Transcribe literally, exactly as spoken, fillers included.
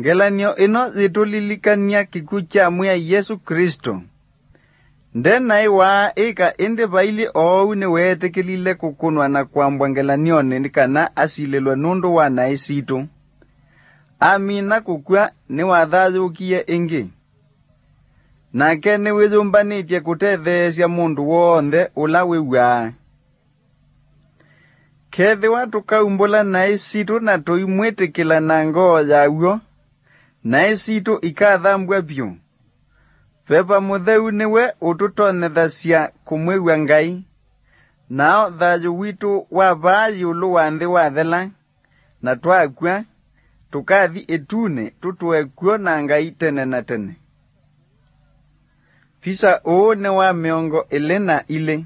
Ngelany'o ĩno yĩtũlilikany'a kĩkw'ũ kya Mwĩai Yesũ Klĩsto. Nde naĩ waa ĩka, ĩndĩ vailyĩ oou nĩweetĩkĩlile kũkũnwa na kwambwa ngelany'onĩ nĩ kana asilĩlwe nũndũ wa naĩ sitũ. Amina kũkw'a, nĩwathayũũkie ĩngĩ. Nake nĩwĩyũmbanĩtye kũtetheesya mũndũ w'onthe ũla wĩw'aa. Kethĩwa tũkaumbũla naĩ sitũ na tũimwĩtĩkĩla na ngoo ya w'o, naĩ sitũ ikathambw'a vyũ. Veva Mũtheu nĩwe ũtũtonyethasya kũmwĩw'a Ngai, nao thayũ witũ wa vaa ĩũlũ wa nthĩ wathela, na twakw'a, tũkathi ĩtunĩ tũtũe kw'o na Ngai tene na tene. Visa ũũ nĩ wa mĩongo ĩlĩ na ilĩ.